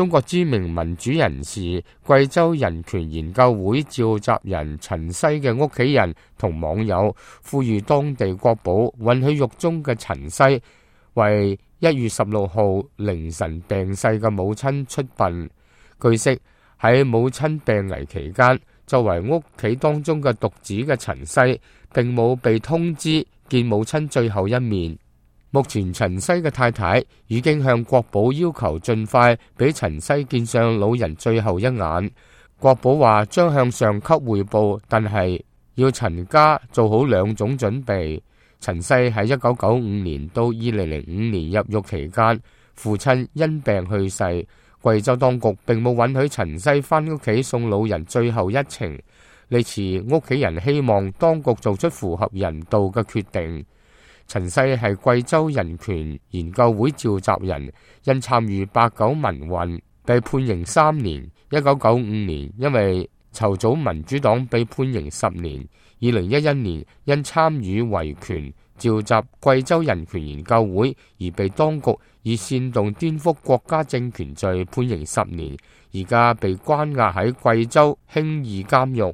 中國知名民主人士、貴州人權研究會召集人陳西嘅屋企人同網友呼籲當地國保允許獄中嘅陳西為1月16號凌晨病逝嘅母親出殯。據悉，喺母親病危期間，作為屋企當中嘅獨子嘅陳西並冇被通知見母親最後一面。目前陳西嘅太太已經向國保要求盡快俾陳西見上老人最後一眼。國保話將向上級匯報，但係要陳家做好2種準備。陳西喺1995年到2005年入獄期間，父親因病去世，貴州當局並冇允許陳西返屋企送老人最後一程。呢次屋企人希望當局做出符合人道嘅決定。陳西係貴州人權研究會召集人，因參與89民運被判刑3年。1995年因為籌組民主黨被判刑10年。2011年因參與維權召集貴州人權研究會而被當局以煽動顛覆國家政權罪判刑10年，而家被關押喺貴州興義監獄。